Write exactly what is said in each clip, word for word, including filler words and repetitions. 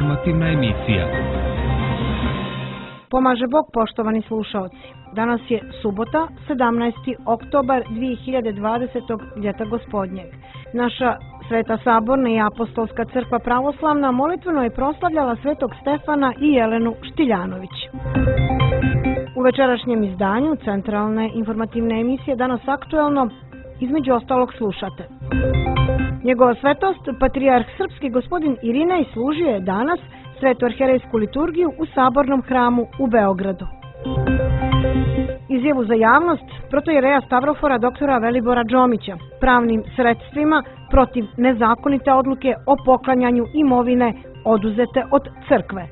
informativna emisija. Pomaže Bog, poštovani slušaoci. Danas je subota, sedamnaesti oktobar dvije hiljade dvadesetog. ljeta gospodnjeg. Naša Sveta Saborna i Apostolska crkva pravoslavna molitveno je proslavljala Svetog Stefana i Jelenu Štiljanović. U večerašnjem izdanju centralne informativne emisije Danas aktuelno, između ostalog slušate. Njegova svetost, patrijarh srpski gospodin Irinej, služio je danas svetu arherejsku liturgiju u Sabornom hramu u Beogradu. Izjavu za javnost protojereja Stavrofora doktora Velibora Džomića pravnim sredstvima protiv nezakonite odluke o poklanjanju imovine oduzete od crkve.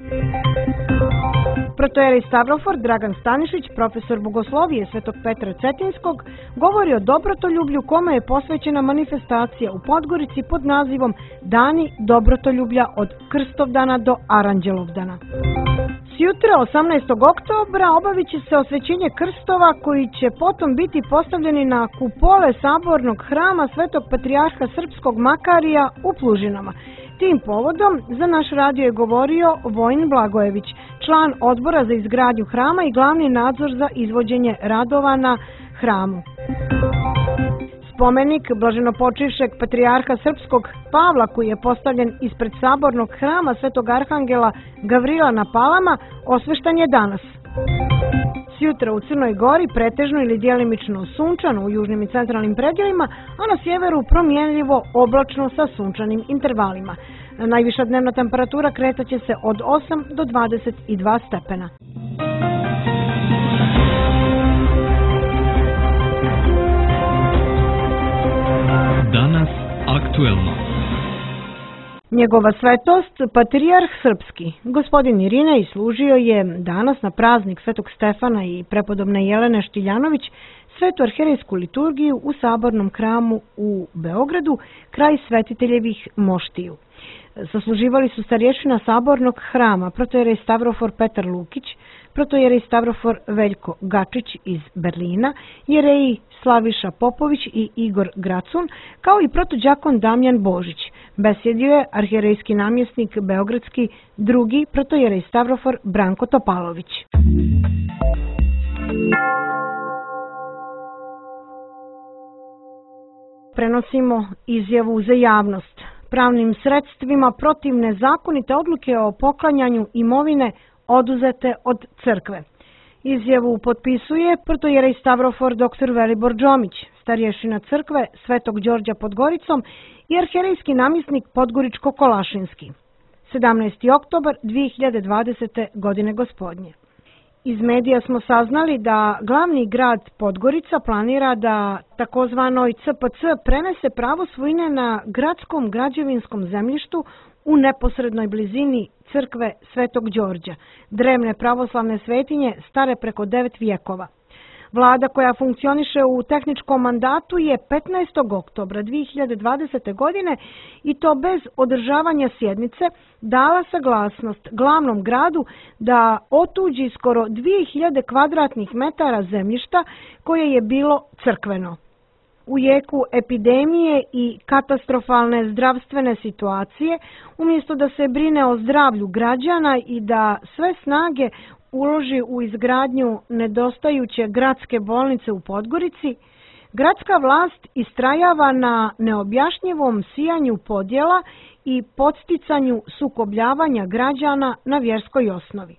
Protojerej Stavrofor Dragan Stanišić, profesor bogoslovije Svetog Petra Cetinskog, govori o dobrotoljublju kome je posvećena manifestacija u Podgorici pod nazivom Dani dobrotoljublja od Krstovdana do Aranđelovdana. Sjutra, osamnaestog oktobra, obavit će se osvećenje krstova koji će potom biti postavljeni na kupole Sabornog hrama Svetog Patrijarha Srpskog Makarija u Plužinama. Tim povodom za naš radio je govorio Vojin Blagojević, član odbora za izgradnju hrama i glavni nadzor za izvođenje radova na hramu. Spomenik blaženopočivšeg patrijarha Srpskog Pavla, koji je postavljen ispred Sabornog hrama Svetog Arhangela Gavrila na Palama, osveštan je danas. Sjutra u Crnoj Gori pretežno ili djelimično sunčano u južnim i centralnim predjelima, a na sjeveru promjenljivo oblačno sa sunčanim intervalima. Najviša dnevna temperatura kretaće se od osam do dvadeset dva stepena. Danas aktuelno. Njegova svetost, patrijarh srpski, gospodin Irinej, služio je danas na praznik Svetog Stefana i prepodobne Jelene Štiljanović svetu arherejsku liturgiju u Sabornom hramu u Beogradu kraj svetiteljevih moštiju. Sasluživali su starješina Sabornog hrama, protojerej Stavrofor Petar Lukić, protojerej Stavrofor Veljko Gačić iz Berlina, jereji Slaviša Popović i Igor Gracun, kao i protođakon Damjan Božić. Besjedio je arherejski namjesnik beogradski drugi protojerej Stavrofor Branko Topalović. Prenosimo izjavu za javnost pravnim sredstvima protiv nezakonite odluke o poklanjanju imovine oduzete od crkve. Izjavu potpisuje protojerej Stavrofor doktor Velibor Džomić, starješina crkve Svetog Đorđa pod Goricom i arherejski namjesnik Podgoričko-Kolašinski. sedamnaesti oktobar dvije hiljade dvadesete. godine gospodnje. Iz medija smo saznali da glavni grad Podgorica planira da takozvanoj C P C prenese pravo svojine na gradskom građevinskom zemljištu u neposrednoj blizini crkve Svetog Đorđa, drevne pravoslavne svetinje stare preko devet vijekova. Vlada koja funkcioniše u tehničkom mandatu je petnaestog oktobra dvije hiljade dvadesete. godine i to bez održavanja sjednice dala saglasnost glavnom gradu da otuđi skoro dvije hiljade kvadratnih metara zemljišta koje je bilo crkveno. U jeku epidemije i katastrofalne zdravstvene situacije, umjesto da se brine o zdravlju građana i da sve snage uloži u izgradnju nedostajuće gradske bolnice u Podgorici, gradska vlast istrajava na neobjašnjivom sijanju podjela i podsticanju sukobljavanja građana na vjerskoj osnovi.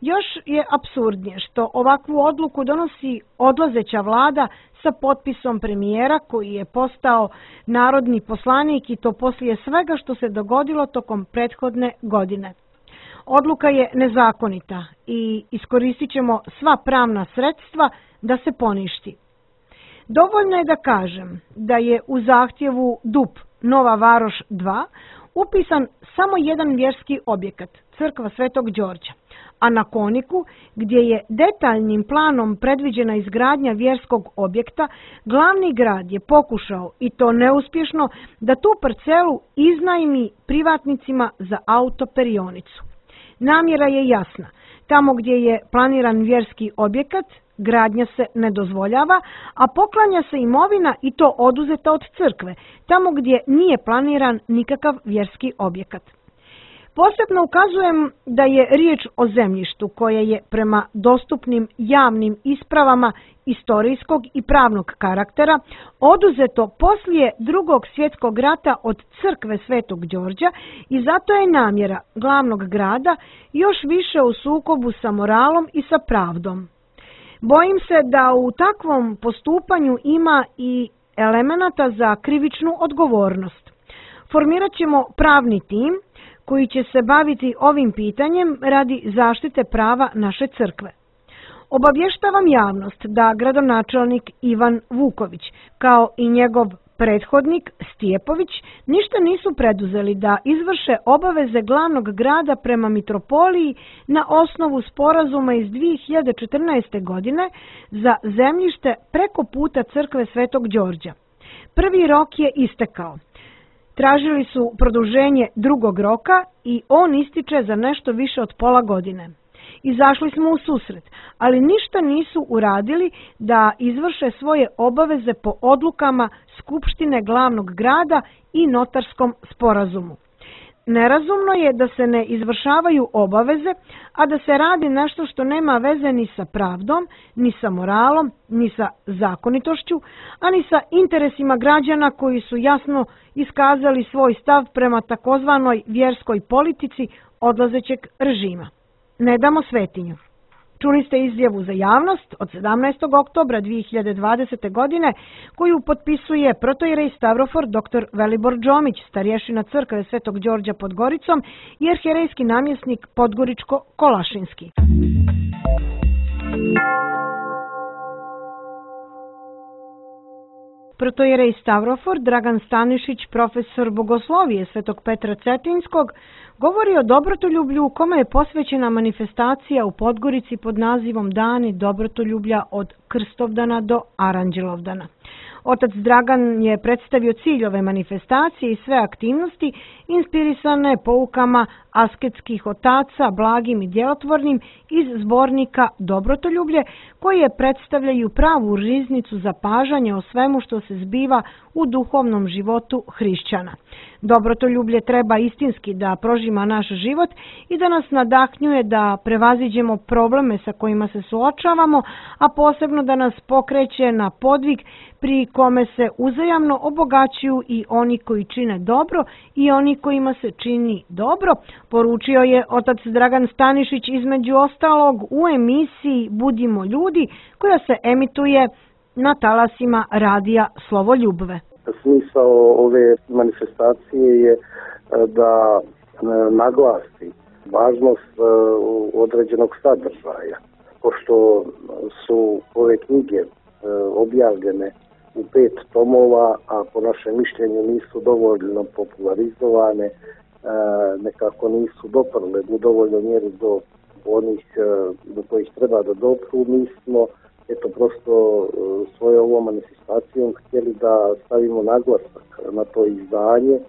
Još je apsurdnije što ovakvu odluku donosi odlazeća vlada sa potpisom premijera koji je postao narodni poslanik i to poslije svega što se dogodilo tokom prethodne godine. Odluka je nezakonita i iskoristit ćemo sva pravna sredstva da se poništi. Dovoljno je da kažem da je u zahtjevu D U P Nova Varoš dva upisan samo jedan vjerski objekat, crkva Svetog Đorđa, a na Koniku, gdje je detaljnim planom predviđena izgradnja vjerskog objekta, glavni grad je pokušao, i to neuspješno, da tu parcelu iznajmi privatnicima za autoperionicu. Namjera je jasna. Tamo gdje je planiran vjerski objekat, gradnja se ne dozvoljava, a poklanja se imovina i to oduzeta od crkve, tamo gdje nije planiran nikakav vjerski objekat. Posebno ukazujem da je riječ o zemljištu koje je prema dostupnim javnim ispravama istorijskog i pravnog karaktera oduzeto poslije Drugog svjetskog rata od crkve Svetog Đorđa i zato je namjera glavnog grada još više u sukobu sa moralom i sa pravdom. Bojim se da u takvom postupanju ima i elemenata za krivičnu odgovornost. Formirat ćemo pravni tim koji će se baviti ovim pitanjem radi zaštite prava naše crkve. Obavještavam javnost da gradonačelnik Ivan Vuković, kao i njegov prethodnik Stjepović, ništa nisu preduzeli da izvrše obaveze glavnog grada prema mitropoliji na osnovu sporazuma iz dvije hiljade četrnaeste. godine za zemljište preko puta crkve Svetog Đorđa. Prvi rok je istekao. Tražili su produženje drugog roka i on ističe za nešto više od pola godine. Izašli smo u susret, ali ništa nisu uradili da izvrše svoje obaveze po odlukama Skupštine glavnog grada i notarskom sporazumu. Nerazumno je da se ne izvršavaju obaveze, a da se radi nešto što nema veze ni sa pravdom, ni sa moralom, ni sa zakonitošću, a ni sa interesima građana koji su jasno iskazali svoj stav prema takozvanoj vjerskoj politici odlazećeg režima. Ne damo svetinju. Čuli ste izjavu za javnost od sedamnaestog oktobra dvije hiljade dvadesete. godine koju potpisuje protoijerej Stavrofor dr. Velibor Džomić, starješina crkve Svetog Đorđa pod Goricom i arhijerejski namjesnik Podgoričko-Kolašinski. Protoijerej Stavrofor Dragan Stanišić, profesor bogoslovije Svetog Petra Cetinskog, govori o dobrotoljublju u kome je posvećena manifestacija u Podgorici pod nazivom Dani dobrotoljublja od Krstovdana do Aranđelovdana. Otac Dragan je predstavio cilj ove manifestacije i sve aktivnosti inspirisane poukama asketskih otaca, blagim i djelotvornim iz zbornika Dobrotoljublje, koje predstavljaju pravu riznicu zapažanja o svemu što se zbiva u duhovnom životu hrišćana. Dobrotoljublje treba istinski da prožima naš život i da nas nadahnjuje da prevaziđemo probleme sa kojima se suočavamo, a posebno da nas pokreće na podvig pri kome se uzajamno obogaćuju i oni koji čine dobro i oni kojima se čini dobro, poručio je otac Dragan Stanišić između ostalog u emisiji Budimo ljudi, koja se emituje na talasima radija Slovo Ljubve. Smisao ove manifestacije je da naglasi važnost određenog sadržaja, pošto su ove knjige objavljene u pet tomova, a po našem mišljenju nisu dovoljno popularizovane, nekako nisu doprle u dovoljnoj mjeri do onih do kojih treba da dopru. Mi smo eto prosto svojom ovom manifestacijom htjeli da stavimo naglasak na to izdanje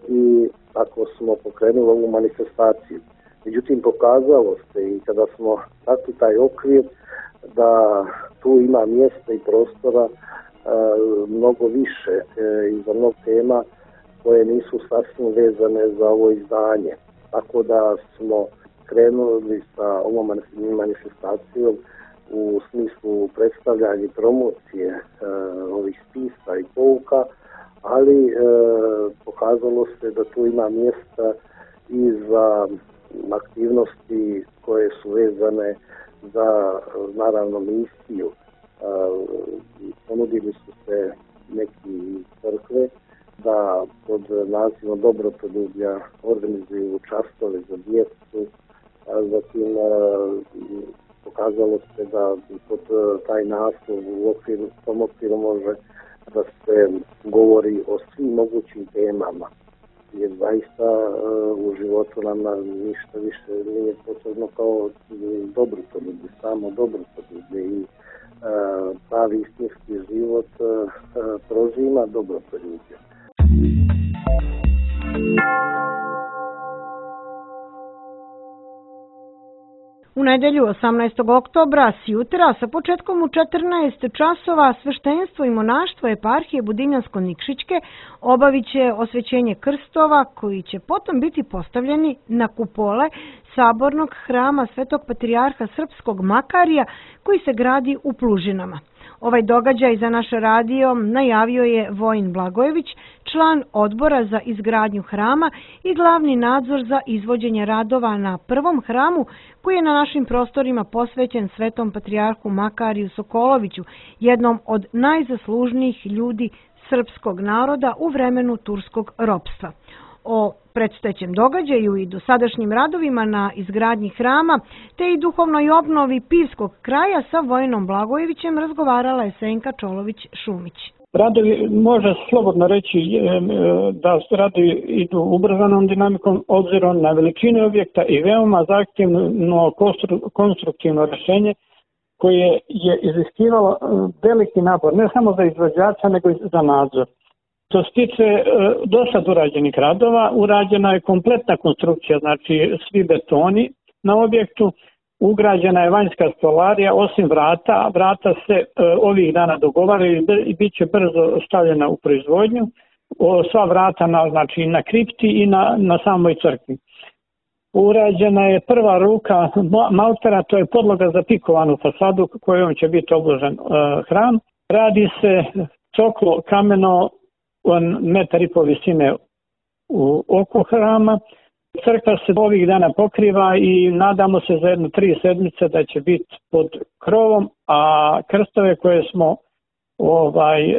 i tako smo pokrenuli ovu manifestaciju. Međutim, pokazalo se i kada smo takli taj okvir da tu ima mjesta i prostora e, mnogo više e, i za mnogo tema koje nisu sasvim vezane za ovo izdanje. Tako da smo krenuli sa ovom manifestacijom u smislu predstavljanja i promocije e, ovih spisa i pouka, ali e, pokazalo se da tu ima mjesta i za aktivnosti koje su vezane za, naravno, misiju. E, ponudili su se neki crkve da pod nazivom Dobrotoljublja organizuju častove za djecu, a zatim e, pokazalo se da pod taj naslov u okviru, tom okviru može da se govori o svim mogućim temama, jer zaista u životu nam ništa više nije potrebno kao dobrotoljublje, samo dobrotoljublje i pravi istinski život prožima dobrotoljublje. U nedelju osamnaestog oktobra s jutra sa početkom u četrnaest časova sveštenstvo i monaštvo eparhije Budinjansko-Nikšićke obavit će osvećenje krstova koji će potom biti postavljeni na kupole sabornog hrama Svetog patrijarha Srpskog Makarija koji se gradi u Plužinama. Ovaj događaj za naš radio najavio je Vojin Blagojević, član odbora za izgradnju hrama i glavni nadzor za izvođenje radova na prvom hramu koji je na našim prostorima posvećen Svetom patrijarhu Makariju Sokoloviću, jednom od najzaslužnijih ljudi srpskog naroda u vremenu turskog ropstva. O predstojećem događaju i dosadašnjim radovima na izgradnji hrama, te i duhovnoj obnovi Pivskog kraja sa Vojinom Blagojevićem razgovarala je Senka Čolović-Šumić. Radovi, može slobodno reći da radovi idu ubrzanom dinamikom obzirom na veličinu objekta i veoma zahtjevno konstruktivno rješenje koje je iziskivalo veliki napor, ne samo za izvođača nego i za nadzor. Što se tiče do sad urađenih radova, urađena je kompletna konstrukcija, znači svi betoni na objektu, ugrađena je vanjska stolarija, osim vrata, vrata se ovih dana dogovaraju i bit će brzo stavljena u proizvodnju, sva vrata na, znači, na kripti i na, na samoj crkvi. Urađena je prva ruka maltera, to je podloga za pikovanu fasadu kojom će biti obložen hram. Radi se coklo kameno metar i pol visine u oko hrama. Crkva se ovih dana pokriva i nadamo se za jedno tri sedmice da će biti pod krovom, a krstove koje smo ovaj e,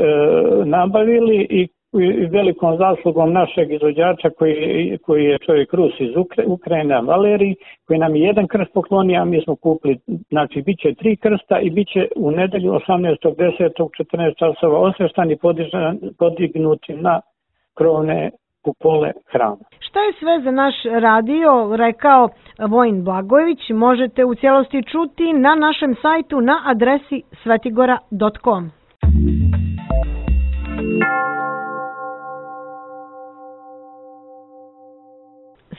nabavili i, i velikom zaslugom našeg izvođača koji, koji je čovjek Rus iz Ukra, Ukrajine, Valerij, koji nam je jedan krst poklonio, a mi smo kupili, znači bit će tri krsta i bit će u nedelju osamnaestog desetog u četrnaest časova osveštani podignuti na krovne kupole hrama. Šta je sve za naš radio rekao Vojin Blagojević, možete u cijelosti čuti na našem sajtu na adresi svetigora dot com.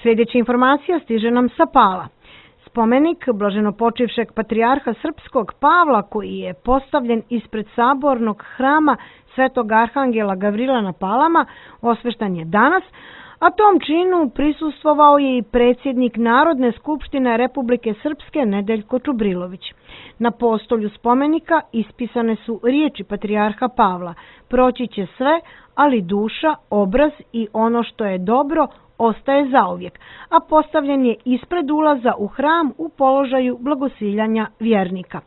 Sljedeća informacija stiže nam sa Pala. Spomenik blaženopočivšeg patrijarha Srpskog Pavla koji je postavljen ispred sabornog hrama Svetog Arhangela Gavrila na Palama osveštan je danas, a tom činu prisustvovao je i predsjednik Narodne skupštine Republike Srpske Nedeljko Čubrilović. Na postolju spomenika ispisane su riječi patrijarha Pavla: proći će sve, ali duša, obraz i ono što je dobro ostaje zauvijek, a postavljen je ispred ulaza u hram u položaju blagosiljanja vjernika.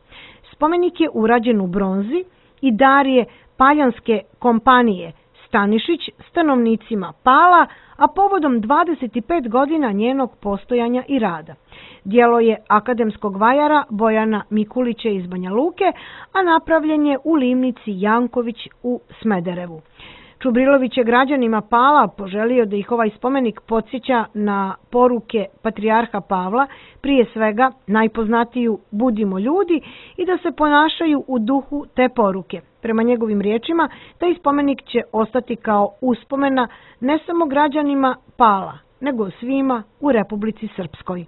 Spomenik je urađen u bronzi i dar je Paljanske kompanije Stanišić stanovnicima Pala, a povodom dvadeset pet godina njenog postojanja i rada. Djelo je akademskog vajara Bojana Mikulića iz Banja Luke, a napravljen je u livnici Janković u Smederevu. Čubrilović je građanima Pala poželio da ih ovaj spomenik podsjeća na poruke patrijarha Pavla, prije svega najpoznatiju budimo ljudi i da se ponašaju u duhu te poruke. Prema njegovim riječima, taj spomenik će ostati kao uspomena ne samo građanima Pala, nego svima u Republici Srpskoj.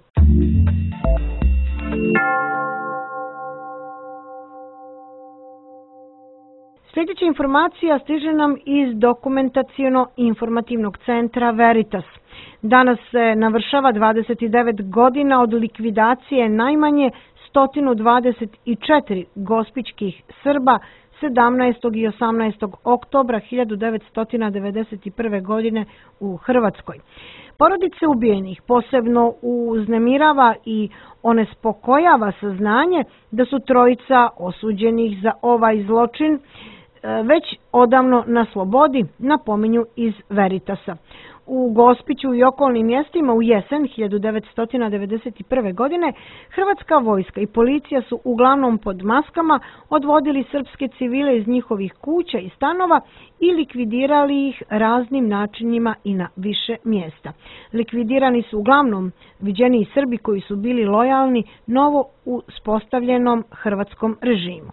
Sljedeća informacija stiže nam iz dokumentaciono-informativnog centra Veritas. Danas se navršava dvadeset devet godina od likvidacije najmanje sto dvadeset četiri gospićkih Srba sedamnaestog i osamnaestog oktobra hiljadu devetsto devedeset prve. godine u Hrvatskoj. Porodice ubijenih posebno uznemirava i onespokojava saznanje da su trojica osuđenih za ovaj zločin već odavno na slobodi, napominju iz Veritasa. U Gospiću i okolnim mjestima u jesen hiljadu devetsto devedeset prve. godine Hrvatska vojska i policija su uglavnom pod maskama odvodili srpske civile iz njihovih kuća i stanova i likvidirali ih raznim načinima i na više mjesta. Likvidirani su uglavnom viđeniji Srbi koji su bili lojalni novo uspostavljenom hrvatskom režimu.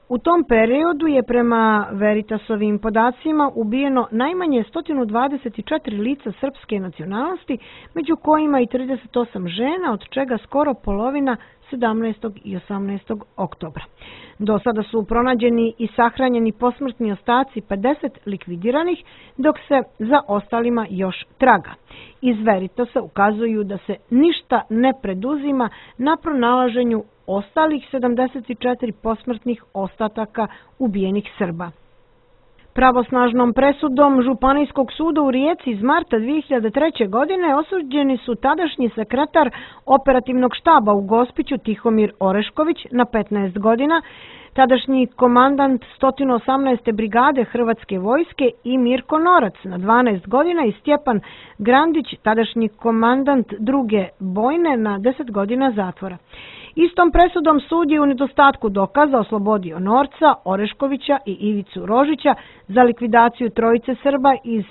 U tom periodu je prema Veritasovim podacima ubijeno najmanje sto dvadeset četiri lica srpske nacionalnosti, među kojima i trideset osam žena, od čega skoro polovina sedamnaestog i osamnaestog oktobra. Do sada su pronađeni i sahranjeni posmrtni ostaci pedeset likvidiranih, dok se za ostalima još traga. Iz Veritasa ukazuju da se ništa ne preduzima na pronalaženju ostalih sedamdeset četiri posmrtnih ostataka ubijenih Srba. Pravosnažnom presudom Županijskog suda u Rijeci iz marta dvije hiljade treće. godine osuđeni su tadašnji sekretar operativnog štaba u Gospiću Tihomir Orešković na petnaest godina, tadašnji komandant sto osamnaeste brigade Hrvatske vojske i Mirko Norac na dvanaest godina i Stjepan Grandić, tadašnji komandant druge bojne, na deset godina zatvora. Istom presudom sud je u nedostatku dokaza oslobodio Norca, Oreškovića i Ivicu Rožića za likvidaciju trojice Srba iz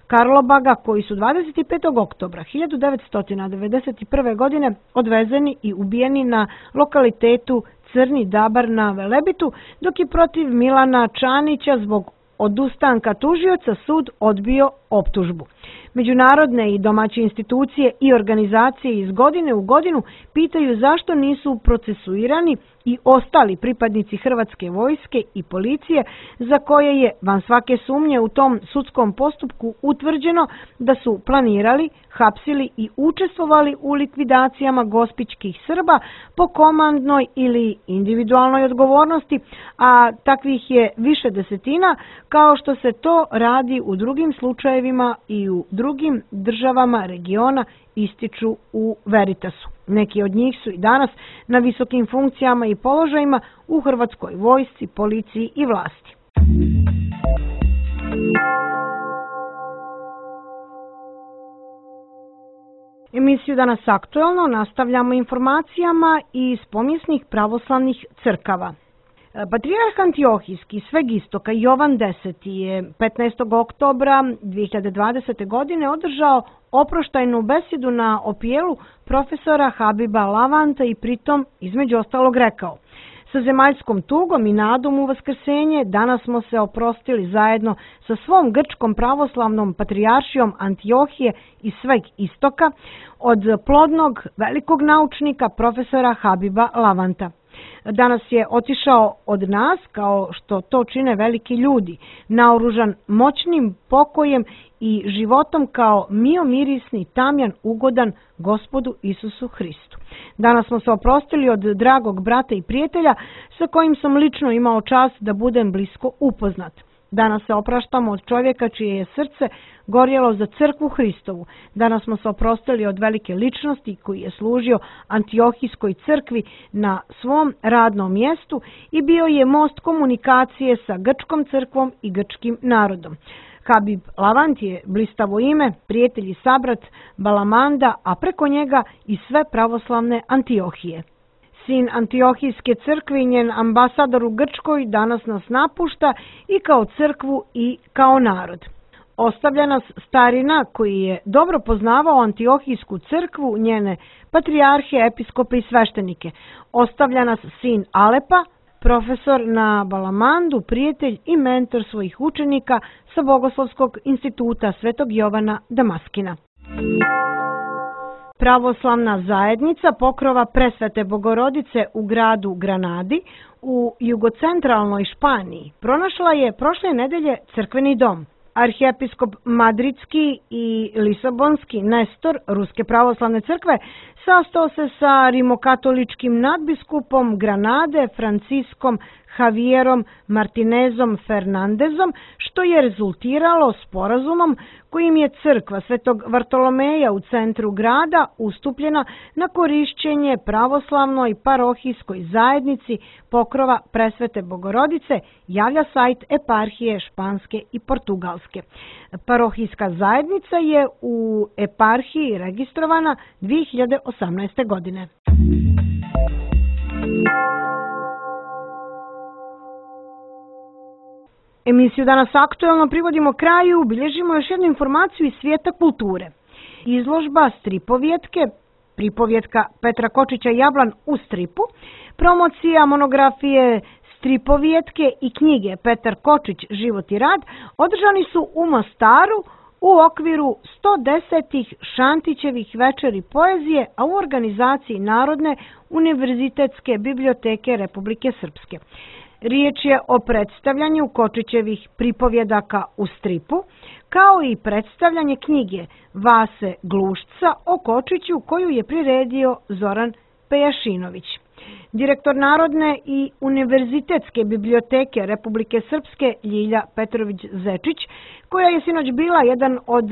Karlobaga koji su dvadeset petog oktobra hiljadu devetsto devedeset prve. godine odvezeni i ubijeni na lokalitetu Crni Dabar na Velebitu, dok je protiv Milana Čanića zbog odustanka tužioca sud odbio optužbu. Međunarodne i domaće institucije i organizacije iz godine u godinu pitaju zašto nisu procesuirani i ostali pripadnici Hrvatske vojske i policije za koje je van svake sumnje u tom sudskom postupku utvrđeno da su planirali, hapsili i učestvovali u likvidacijama gospićkih Srba po komandnoj ili individualnoj odgovornosti, a takvih je više desetina, kao što se to radi u drugim slučajevima i u drugim državama regiona, ističu u Veritasu. Neki od njih su i danas na visokim funkcijama i položajima u Hrvatskoj vojsci, policiji i vlasti. Emisiju Danas aktuelno nastavljamo informacijama iz pomjesnih pravoslavnih crkava. Patrijarh Antiohijski sveg istoka Jovan Deseti je petnaestog oktobra dvije hiljade dvadesete. godine održao oproštajnu besedu na opijelu profesora Habiba Lavanta i pritom između ostalog rekao: sa zemaljskom tugom i nadom u vaskrsenje danas smo se oprostili zajedno sa svom grčkom pravoslavnom patrijaršijom Antiohije i sveg istoka od plodnog velikog naučnika profesora Habiba Lavanta. Danas je otišao od nas, kao što to čine veliki ljudi, naoružan moćnim pokojem i životom kao miomirisni tamjan ugodan Gospodu Isusu Hristu. Danas smo se oprostili od dragog brata i prijatelja sa kojim sam lično imao čast da budem blisko upoznat. Danas se opraštamo od čovjeka čije je srce gorjelo za crkvu Hristovu. Danas smo se oprostili od velike ličnosti koji je služio Antiohijskoj crkvi na svom radnom mjestu i bio je most komunikacije sa grčkom crkvom i grčkim narodom. Habib Lavant je blistavo ime, prijatelj i sabrat Balamanda, a preko njega i sve pravoslavne Antiohije. Sin Antiohijske crkve i njen ambasador u Grčkoj danas nas napušta i kao crkvu i kao narod. Ostavlja nas starina koji je dobro poznavao Antiohijsku crkvu, njene patrijarhe, episkope i sveštenike. Ostavlja nas sin Alepa, profesor na Balamandu, prijatelj i mentor svojih učenika sa Bogoslovskog instituta Svetog Jovana Damaskina. Pravoslavna zajednica Pokrova Presvete Bogorodice u gradu Granadi u jugocentralnoj Španiji pronašla je prošle nedelje crkveni dom. Arhijepiskop Madridski i Lisabonski Nestor Ruske pravoslavne crkve sastao se sa rimokatoličkim nadbiskupom Granade Franciskom Javierom Martinezom Fernandezom, što je rezultiralo sporazumom kojim je crkva Svetog Vartolomeja u centru grada ustupljena na korišćenje pravoslavnoj parohijskoj zajednici Pokrova Presvete Bogorodice, javlja sajt eparhije Španske i Portugalske. Parohijska zajednica je u eparhiji registrovana dvije hiljade osamnaeste. godine. Emisiju Danas aktuelno privodimo kraju, bilježimo još jednu informaciju iz svijeta kulture. Izložba stripovjetke, pripovjetka Petra Kočića Jablan u stripu, promocija monografije stripovijetke i knjige Petar Kočić Život i rad održani su u Mostaru u okviru sto desetih Šantićevih večeri poezije, a u organizaciji Narodne univerzitetske biblioteke Republike Srpske. Riječ je o predstavljanju Kočićevih pripovjedaka u stripu, kao i predstavljanje knjige Vase Glušca o Kočiću koju je priredio Zoran Pejašinović. Direktor Narodne i univerzitetske biblioteke Republike Srpske Ljilja Petrović-Zečić, koja je sinoć bila jedan od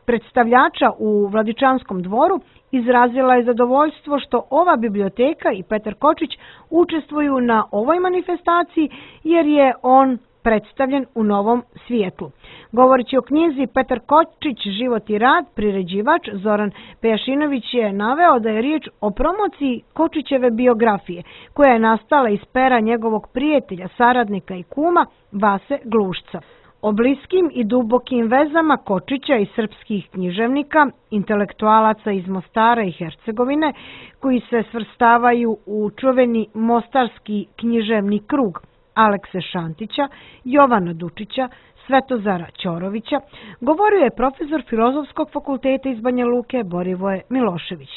predstavljača u Vladičanskom dvoru, izrazila je zadovoljstvo što ova biblioteka i Petar Kočić učestvuju na ovoj manifestaciji jer je on predstavljen u novom svijetlu. Govoreći o knjizi Petar Kočić Život i rad, priređivač Zoran Pejašinović je naveo da je riječ o promociji Kočićeve biografije, koja je nastala iz pera njegovog prijatelja, saradnika i kuma Vase Glušca. O bliskim i dubokim vezama Kočića i srpskih književnika, intelektualaca iz Mostara i Hercegovine, koji se svrstavaju u čuveni mostarski književni krug Alekse Šantića, Jovana Dučića, Svetozara Ćorovića, govorio je profesor Filozofskog fakulteta iz Banja Luke Borivoje Milošević.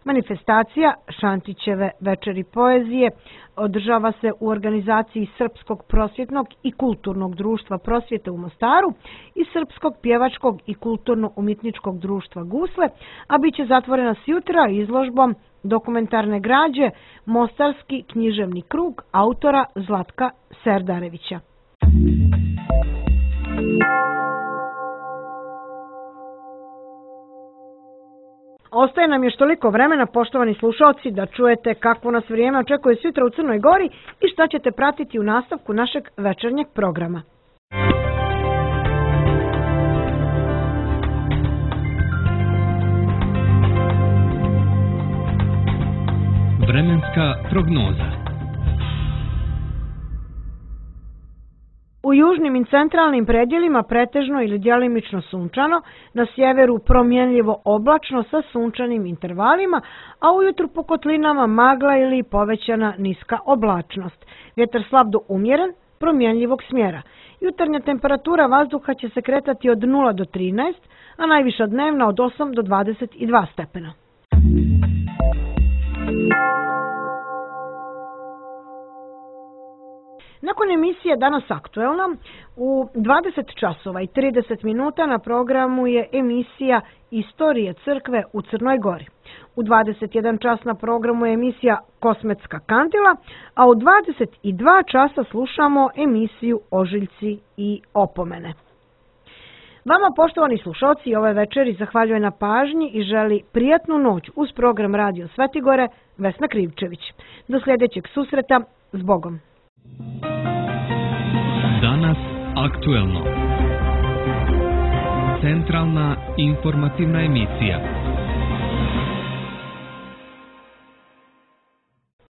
Manifestacija Šantićeve večeri poezije održava se u organizaciji Srpskog prosvjetnog i kulturnog društva prosvjete u Mostaru i Srpskog pjevačkog i kulturno-umjetničkog društva Gusle, a bit će zatvorena sjutra izložbom dokumentarne građe Mostarski književni krug autora Zlatka Serdarevića. Ostaje nam još toliko vremena, poštovani slušalci, da čujete kakvo nas vrijeme očekuje sutra u Crnoj Gori i šta ćete pratiti u nastavku našeg večernjeg programa. Vremenska prognoza. U južnim i centralnim predjelima pretežno ili djelimično sunčano, na sjeveru promjenljivo oblačno sa sunčanim intervalima, a ujutru po kotlinama magla ili povećana niska oblačnost. Vjetar slab do umjeren, promjenljivog smjera. Jutarnja temperatura vazduha će se kretati od nula do trinaest, a najviša dnevna od osam do dvadeset dva stepena. Nakon emisije Danas aktuelna, u dvadeset časova i trideset minuta na programu je emisija Istorije crkve u Crnoj Gori. U dvadeset jedan čas na programu je emisija Kosmetska kandila, a u dvadeset dva časa slušamo emisiju Ožiljci i opomene. Vama, poštovani slušalci, ove večeri zahvaljuje na pažnji i želi prijatnu noć uz program Radio Svetigore Vesna Krivčević. Do sljedećeg susreta, s Bogom. Danas aktuelno. Centralna informativna emisija.